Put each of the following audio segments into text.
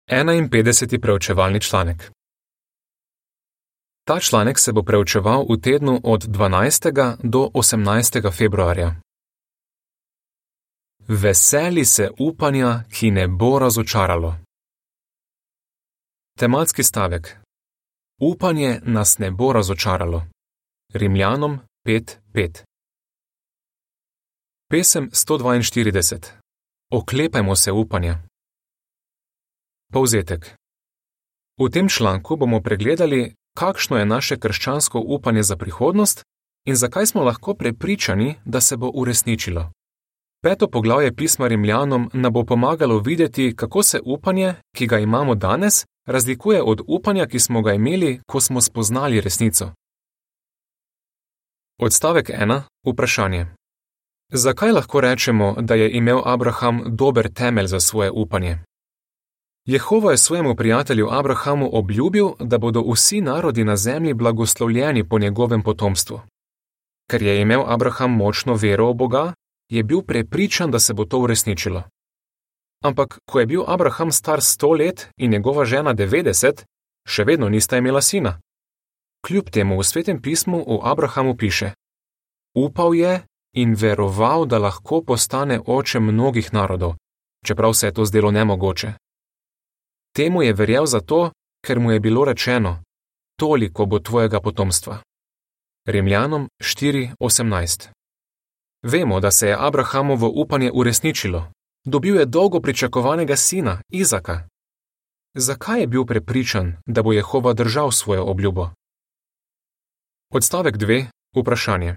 51. preučevalni članek. Ta članek se bo preučeval v tednu od 12. do 18. februarja. Veseli se upanja, ki ne bo razočaralo. Tematski stavek. Upanje nas ne bo razočaralo. Rimljanom 5:5. Pesem 142. Oklepajmo se upanja. Povzetek. V tem članku bomo pregledali, kakšno je naše krščansko upanje za prihodnost in zakaj smo lahko prepričani, da se bo uresničilo. 5. poglavje pisma Rimljanom nam bo pomagalo videti, kako se upanje, ki ga imamo danes, razlikuje od upanja, ki smo ga imeli, ko smo spoznali resnico. Odstavek 1. Vprašanje. Zakaj lahko rečemo, da je imel Abraham dober temelj za svoje upanje? Jehova je svojemu prijatelju Abrahamu obljubil, da bodo vsi narodi na zemlji blagoslovljeni po njegovem potomstvu. Ker je imel Abraham močno vero v Boga, je bil prepričan, da se bo to uresničilo. Ampak, ko je bil Abraham star 100 let in njegova žena 90, še vedno nista imela sina. Kljub temu v Svetem pismu o Abrahamu piše: Upal je in veroval, da lahko postane oče mnogih narodov, čeprav se je to zdelo nemogoče. Temu je verjel zato, ker mu je bilo rečeno: toliko bo tvojega potomstva. Rimljanom 4:18. Vemo, da se je Abrahamovo upanje uresničilo. Dobil je dolgo pričakovanega sina, Izaka. Zakaj je bil prepričan, da bo Jehova držal svojo obljubo? Odstavek 2. Vprašanje.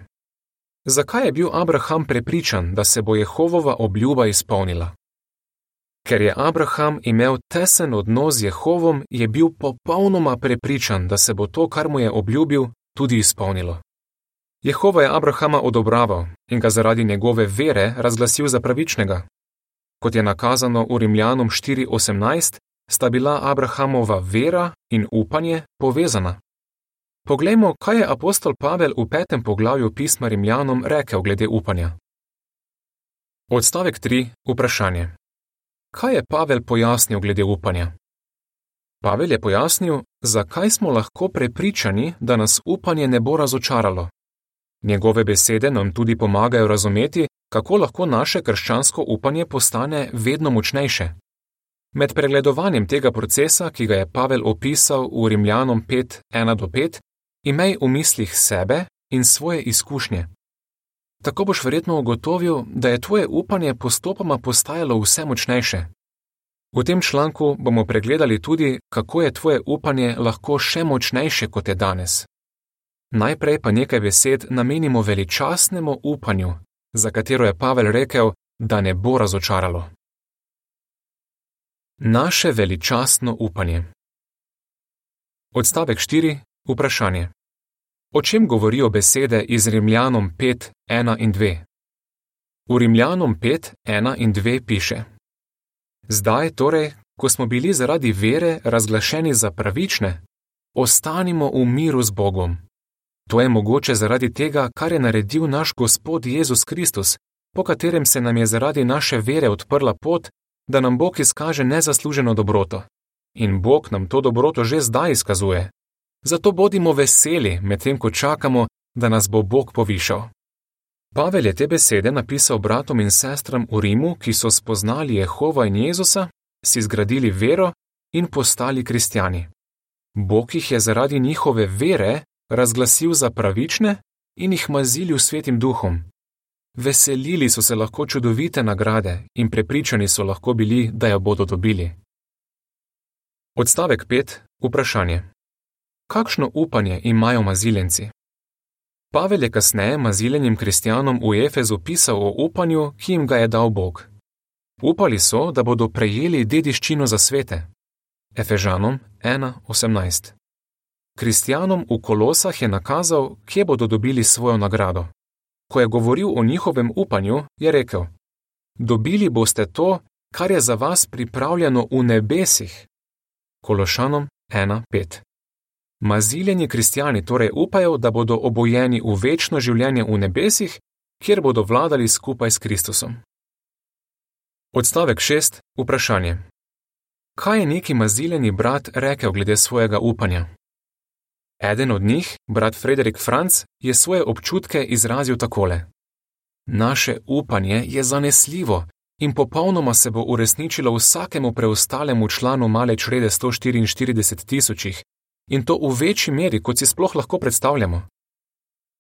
Zakaj je bil Abraham prepričan, da se bo Jehovova obljuba izpolnila? Ker je Abraham imel tesen odnos z Jehovom, je bil popolnoma prepričan, da se bo to, kar mu je obljubil, tudi izpolnilo. Jehova je Abrahama odobraval in ga zaradi njegove vere razglasil za pravičnega. Kot je nakazano v Rimljanom 4:18, sta bila Abrahamova vera in upanje povezana. Poglejmo, kaj je apostol Pavel v 5. poglavju pisma Rimljanom rekel glede upanja. Odstavek 3. Vprašanje. Kaj je Pavel pojasnil glede upanja? Pavel je pojasnil, zakaj smo lahko prepričani, da nas upanje ne bo razočaralo. Njegove besede nam tudi pomagajo razumeti, kako lahko naše krščansko upanje postane vedno močnejše. Med pregledovanjem tega procesa, ki ga je Pavel opisal v Rimljanom 5:1-5, imej v mislih sebe in svoje izkušnje. Tako boš verjetno ugotovil, da je tvoje upanje postopoma postajalo vse močnejše. V tem članku bomo pregledali tudi, kako je tvoje upanje lahko še močnejše, kot je danes. Najprej pa nekaj besed namenimo veličastnemu upanju, za katero je Pavel rekel, da ne bo razočaralo. Naše veličastno upanje. Odstavek 4. Vprašanje. O čem govorijo besede iz Rimljanom 5:1-2? V Rimljanom 5:1-2 piše: Zdaj torej, ko smo bili zaradi vere razglašeni za pravične, ostanimo v miru z Bogom. To je mogoče zaradi tega, kar je naredil naš Gospod Jezus Kristus, po katerem se nam je zaradi naše vere odprla pot, da nam Bog izkaže nezasluženo dobroto. In Bog nam to dobroto že zdaj izkazuje. Zato bodimo veseli, medtem ko čakamo, da nas bo Bog povišal. Pavel je te besede napisal bratom in sestram v Rimu, ki so spoznali Jehova in Jezusa, si zgradili vero in postali kristjani. Bog jih je zaradi njihove vere razglasil za pravične in jih mazili v Svetim duhom. Veselili so se lahko čudovite nagrade in prepričani so lahko bili, da jo bodo dobili. Odstavek 5. Vprašanje. Kakšno upanje imajo maziljenci? Pavel je kasneje maziljenim kristjanom v Efezu pisal o upanju, ki jim ga je dal Bog. Upali so, da bodo prejeli dediščino za svete. Efežanom 1:18. Kristjanom v Kolosah je nakazal, kje bodo dobili svojo nagrado. Ko je govoril o njihovem upanju, je rekel: Dobili boste to, kar je za vas pripravljeno v nebesih. Kološanom 1:5. Maziljeni kristjani torej upajo, da bodo obojeni v večno življenje v nebesih, kjer bodo vladali skupaj s Kristusom. Odstavek 6. Vprašanje. kaj je neki mazileni brat rekel glede svojega upanja. Eden od njih, brat Frederik Franc, je svoje občutke izrazil takole: Naše upanje je zanesljivo in popolnoma se bo uresničilo vsakemu preostalemu članu male črede 144 tisočih, in to v večji meri, kot si sploh lahko predstavljamo.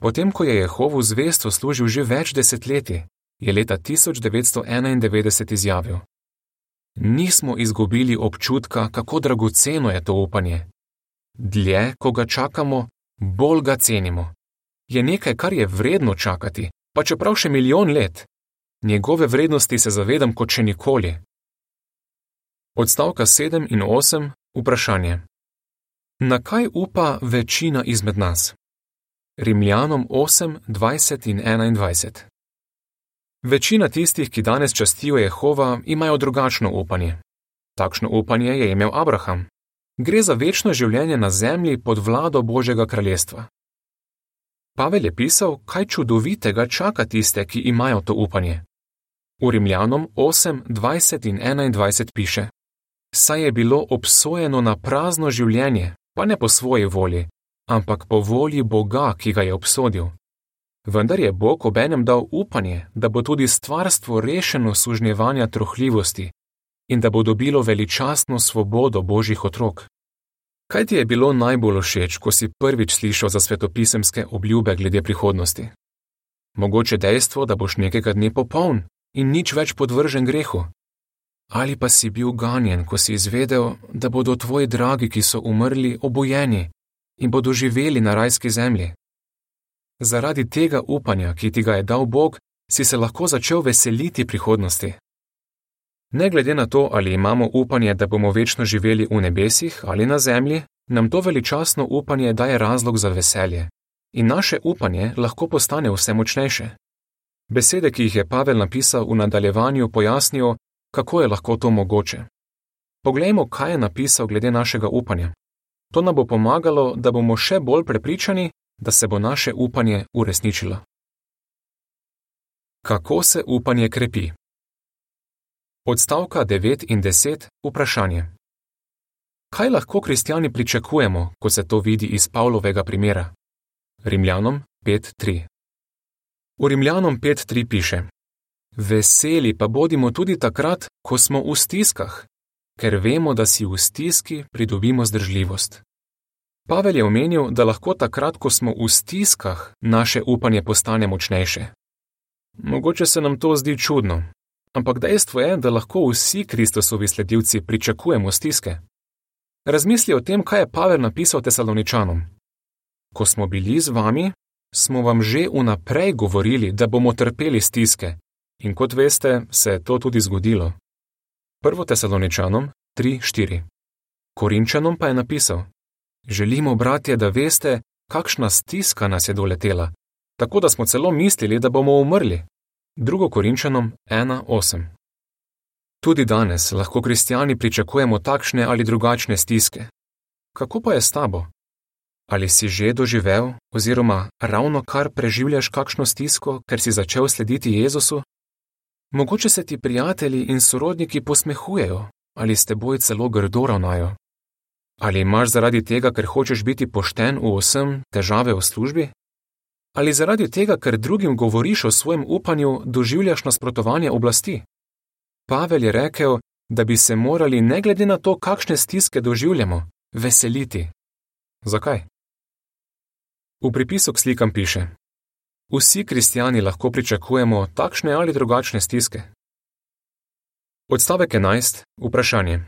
Potem, ko je Jehovu zvesto služil že več desetletij, je leta 1991 izjavil: Nismo izgubili občutka, kako dragoceno je to upanje. Dlje, ko ga čakamo, bolj ga cenimo. Je nekaj, kar je vredno čakati, pa čeprav še milijon let. Njegove vrednosti se zavedam kot še nikoli. Odstavka 7 in 8, vprašanje. Na kaj upa večina izmed nas? Rimljanom 8, 20 in 21. Večina tistih, ki danes častijo Jehova, imajo drugačno upanje. Takšno upanje je imel Abraham. Gre za večno življenje na zemlji pod vlado Božjega kraljestva. Pavel je pisal, kaj čudovitega čaka tiste, ki imajo to upanje. V Rimljanom 8, 20 in 21 piše: Saj je bilo obsojeno na prazno življenje, pa ne po svoji volji, ampak po volji Boga, ki ga je obsodil. Vendar je Bog obenem dal upanje, da bo tudi stvarstvo rešeno sužnjevanja trohljivosti in da bo dobilo veličastno svobodo Božjih otrok. Kaj ti je bilo najbolj všeč, ko si prvič slišal za svetopisemske obljube glede prihodnosti? Mogoče dejstvo, da boš nekega dne popoln in nič več podvržen grehu? Ali pa si bil ganjen, ko si izvedel, da bodo tvoji dragi, ki so umrli, obojeni in bodo živeli na rajski zemlji? Zaradi tega upanja, ki ti ga je dal Bog, si se lahko začel veseliti prihodnosti. Ne glede na to, ali imamo upanje, da bomo večno živeli v nebesih ali na zemlji, nam to veličastno upanje daje razlog za veselje. In naše upanje lahko postane vse močnejše. Besede, ki jih je Pavel napisal v nadaljevanju, pojasnijo, kako je lahko to mogoče. Poglejmo, kaj je napisal glede našega upanja. To nam bo pomagalo, da bomo še bolj prepričani, da se bo naše upanje uresničilo. Kako se upanje krepi? Odstavka 9 in 10, vprašanje. Kaj lahko kristjani pričakujemo, ko se to vidi iz Pavlovega primera? Rimljanom 5.3. V Rimljanom 5.3 piše: Veseli pa bodimo tudi takrat, ko smo v stiskah, ker vemo, da si v stiski pridobimo zdržljivost. Pavel je omenil, da lahko takrat, ko smo v stiskah, naše upanje postane močnejše. Mogoče se nam to zdi čudno, ampak dejstvo je, da lahko vsi Kristusovi sledilci pričakujemo stiske. Razmisli o tem, kaj je Pavel napisal Tesaloničanom. Ko smo bili z vami, smo vam že vnaprej govorili, da bomo trpeli stiske, in kot veste, se je to tudi zgodilo. 1. Tesaloničanom 3.4. Korinčanom pa je napisal: Želimo, bratje, da veste, kakšna stiska nas je doletela, tako da smo celo mislili, da bomo umrli. 2. Korinčanom 1.8. Tudi danes lahko kristjani pričakujemo takšne ali drugačne stiske. Kako pa je s tabo? Ali si že doživel oziroma ravno kar preživljaš kakšno stisko, ker si začel slediti Jezusu? Mogoče se ti prijatelji in sorodniki posmehujejo ali s teboj celo grdo ravnajo. Ali imaš zaradi tega, ker hočeš biti pošten v vsem, težave v službi? Ali zaradi tega, ker drugim govoriš o svojem upanju, doživljaš nasprotovanje oblasti? Pavel je rekel, da bi se morali ne glede na to, kakšne stiske doživljamo, veseliti. Zakaj? V pripisu k slikam piše: Vsi kristjani lahko pričakujemo takšne ali drugačne stiske. Odstavek 11, vprašanje.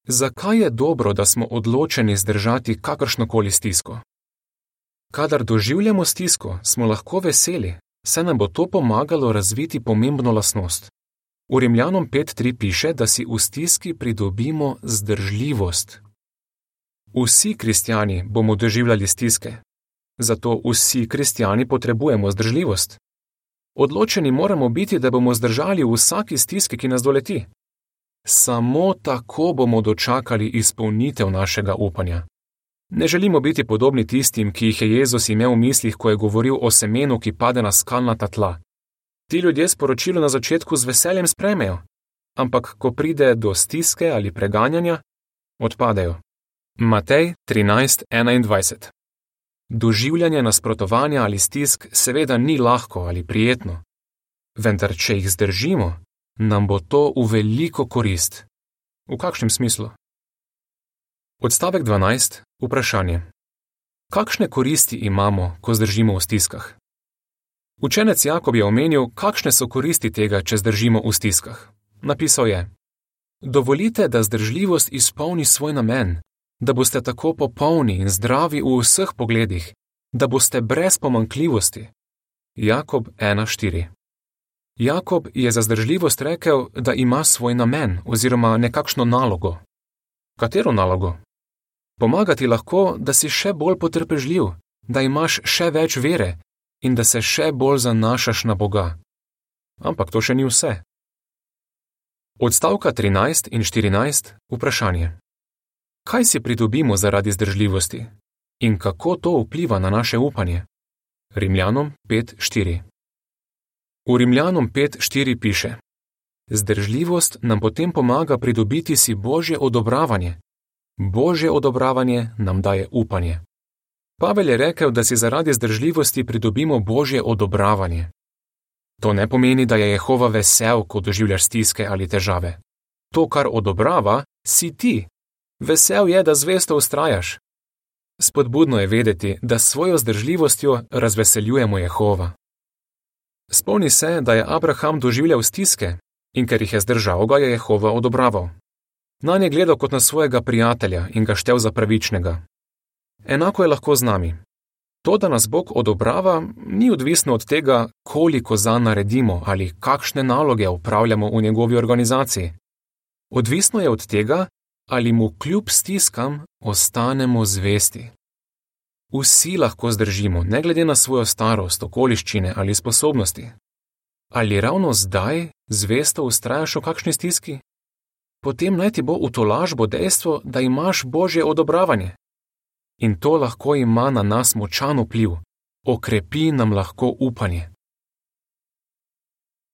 Zakaj je dobro, da smo odločeni zdržati kakršnokoli stisko? Kadar doživljamo stisko, smo lahko veseli, saj nam bo to pomagalo razviti pomembno lastnost. V Rimljanom 5.3 piše, da si v stiski pridobimo zdržljivost. Vsi kristjani bomo doživljali stiske, zato vsi kristjani potrebujemo zdržljivost. Odločeni moramo biti, da bomo zdržali v vsaki stiski, ki nas doleti. Samo tako bomo dočakali izpolnitev našega upanja. Ne želimo biti podobni tistim, ki jih je Jezus imel v mislih, ko je govoril o semenu, ki pade na skalnata tla. Ti ljudje sporočilo na začetku z veseljem sprejmejo, ampak ko pride do stiske ali preganjanja, odpadejo. Matej 13:21. Doživljanje nasprotovanja ali stisk seveda ni lahko ali prijetno, vendar če jih zdržimo, nam bo to v veliko korist. V kakšnem smislu? Odstavek 12. Vprašanje. Kakšne koristi imamo, ko zdržimo v stiskah? Učenec Jakob je omenil, kakšne so koristi tega, če zdržimo v stiskah. Napisal je: Dovolite, da zdržljivost izpolni svoj namen, da boste tako popolni in zdravi v vseh pogledih, da boste brez pomanjkljivosti. Jakob 1:4. Jakob je za zdržljivost rekel, da ima svoj namen oziroma nekakšno nalogo. Katero nalogo? Pomagati lahko, da si še bolj potrpežljiv, da imaš še več vere in da se še bolj zanašaš na Boga. Ampak to še ni vse. Odstavka 13 in 14. Vprašanje. Kaj si pridobimo zaradi zdržljivosti in kako to vpliva na naše upanje? Rimljanom 5:4. V Rimljanom 5:4 piše: Zdržljivost nam potem pomaga pridobiti si Božje odobravanje. Božje odobravanje nam daje upanje. Pavel je rekel, da si zaradi zdržljivosti pridobimo Božje odobravanje. To ne pomeni, da je Jehova vesel, ko doživljaš stiske ali težave. To, kar odobrava, si ti. Vesel je, da zvesto vztrajaš. Spodbudno je vedeti, da s svojo zdržljivostjo razveseljujemo Jehova. Spomni se, da je Abraham doživljal stiske in ker jih je zdržal, ga je Jehova odobraval. Nanj je gledal kot na svojega prijatelja in ga štel za pravičnega. Enako je lahko z nami. To, da nas Bog odobrava, ni odvisno od tega, koliko zanj naredimo ali kakšne naloge opravljamo v njegovi organizaciji. Odvisno je od tega, ali mu kljub stiskam ostanemo zvesti. Vsi lahko zdržimo, ne glede na svojo starost, okoliščine ali sposobnosti. Ali ravno zdaj zvesto vztrajaš v kakšni stiski? Potem naj ti bo v tolažbo dejstvo, da imaš Božje odobravanje. In to lahko ima na nas močan vpliv, okrepi nam lahko upanje.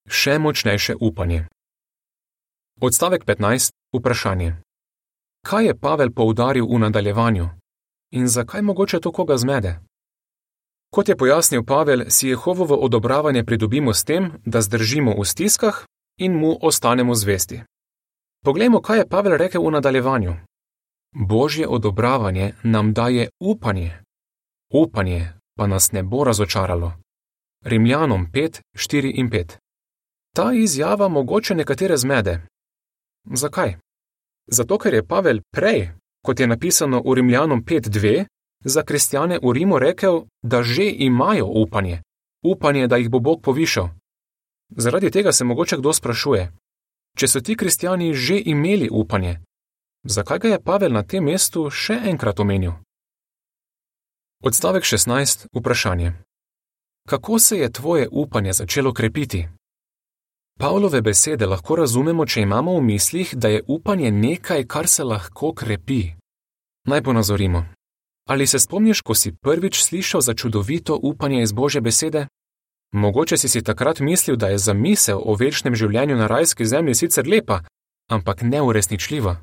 Še močnejše upanje. Odstavek 15. Vprašanje. Kaj je Pavel poudaril v nadaljevanju? In zakaj mogoče to koga zmede? Kot je pojasnil Pavel, si Jehovovo odobravanje pridobimo s tem, da zdržimo v stiskah in mu ostanemo zvesti. Poglejmo, kaj je Pavel rekel v nadaljevanju. Božje odobravanje nam daje upanje. Upanje pa nas ne bo razočaralo. Rimljanom 5:4 in 5. Ta izjava mogoče nekatere zmede. Zakaj? Zato, ker je Pavel prej, kot je napisano v Rimljanom 5:2, za kristjane v Rimu rekel, da že imajo upanje. Upanje, da jih bo Bog povišal. Zaradi tega se mogoče kdo sprašuje, če so ti kristjani že imeli upanje, zakaj ga je Pavel na tem mestu še enkrat omenil? Odstavek 16. Vprašanje. Kako se je tvoje upanje začelo krepiti? Pavlove besede lahko razumemo, če imamo v mislih, da je upanje nekaj, kar se lahko krepi. Naj ponazorimo. Ali se spomniš, ko si prvič slišal za čudovito upanje iz Božje besede? Mogoče si takrat mislil, da je zamisel o večnem življenju na rajski zemlji sicer lepa, ampak neuresničljiva.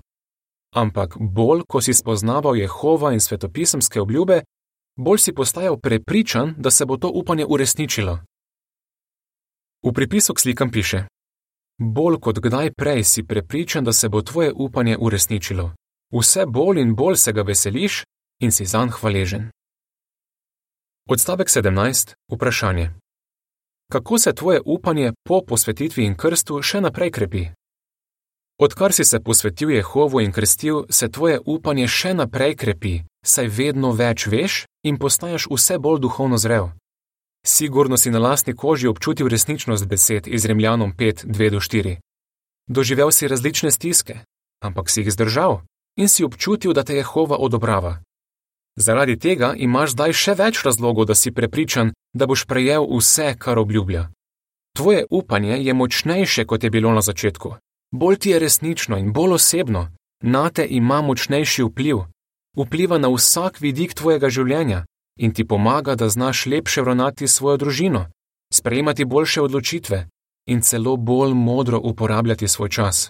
Ampak bolj, ko si spoznaval Jehova in svetopisemske obljube, bolj si postajal prepričan, da se bo to upanje uresničilo. V pripisu k slikam piše: Bolj kot kdaj prej si prepričan, da se bo tvoje upanje uresničilo. Vse bolj in bolj se ga veseliš in si zanj hvaležen. Odstavek 17. Vprašanje. Kako se tvoje upanje po posvetitvi in krstu še naprej krepi? Odkar si se posvetil Jehovu in krstil, se tvoje upanje še naprej krepi, saj vedno več veš in postaješ vse bolj duhovno zrel. Sigurno si na lastni koži občutil resničnost besed iz Rimljanom 5:2-4. Doživel si različne stiske, ampak si jih zdržal in si občutil, da te Jehova odobrava. Zaradi tega imaš zdaj še več razlogov, da si prepričan, da boš prejel vse, kar obljublja. Tvoje upanje je močnejše, kot je bilo na začetku. Bolj ti je resnično in bolj osebno. Nate ima močnejši vpliv. Vpliva na vsak vidik tvojega življenja in ti pomaga, da znaš lepše ravnati svojo družino, sprejemati boljše odločitve in celo bolj modro uporabljati svoj čas.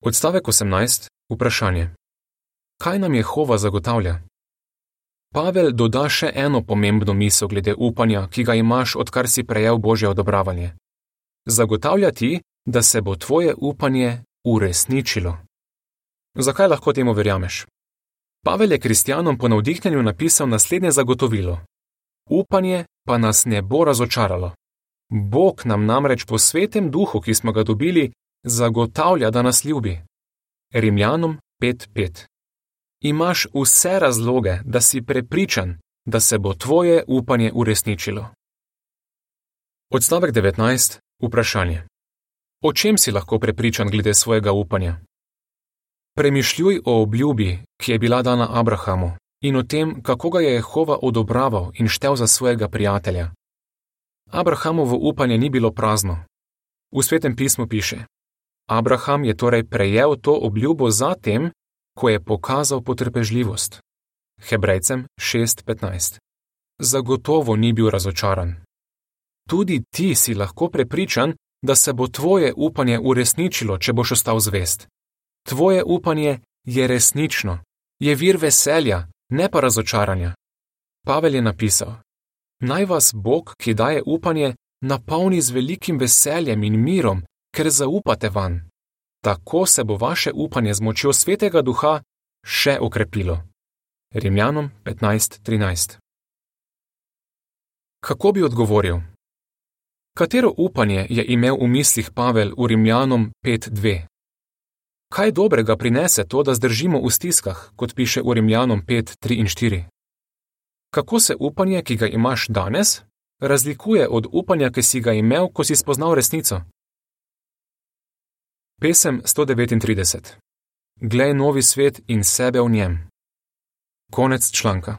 Odstavek 18. Vprašanje. Kaj nam Jehova zagotavlja? Pavel doda še eno pomembno misel glede upanja, ki ga imaš, odkar si prejel Božje odobravanje. Zagotavlja ti, da se bo tvoje upanje uresničilo. Zakaj lahko temu verjameš? Pavel je kristjanom po navdihnjenju napisal naslednje zagotovilo. Upanje pa nas ne bo razočaralo. Bog nam namreč po svetem duhu, ki smo ga dobili, zagotavlja, da nas ljubi. Rimljanom 5:5. Imaš vse razloge, da si prepričan, da se bo tvoje upanje uresničilo. Odstavek 19. Vprašanje. O čem si lahko prepričan glede svojega upanja? Premišljuj o obljubi, ki je bila dana Abrahamu, in o tem, kako ga je Jehova odobraval in štel za svojega prijatelja. Abrahamovo upanje ni bilo prazno. V Svetem pismu piše: Abraham je torej prejel to obljubo zatem, ko je pokazal potrpežljivost. Hebrejcem 6:15. Zagotovo ni bil razočaran. Tudi ti si lahko prepričan, da se bo tvoje upanje uresničilo, če boš ostal zvest. Tvoje upanje je resnično, je vir veselja, ne pa razočaranja. Pavel je napisal: Naj vas Bog, ki daje upanje, napolni z velikim veseljem in mirom, ker zaupate vanj. Tako se bo vaše upanje z močjo Svetega Duha še okrepilo. Rimljanom 15:13. Kako bi odgovoril? Katero upanje je imel v mislih Pavel v Rimljanom 5:2? Kaj dobrega prinese to, da zdržimo v stiskah, kot piše v Rimljanom 5:3 in 4? Kako se upanje, ki ga imaš danes, razlikuje od upanja, ki si ga imel, ko si spoznal resnico? Pesem 139. Glej novi svet in sebe v njem. Konec članka.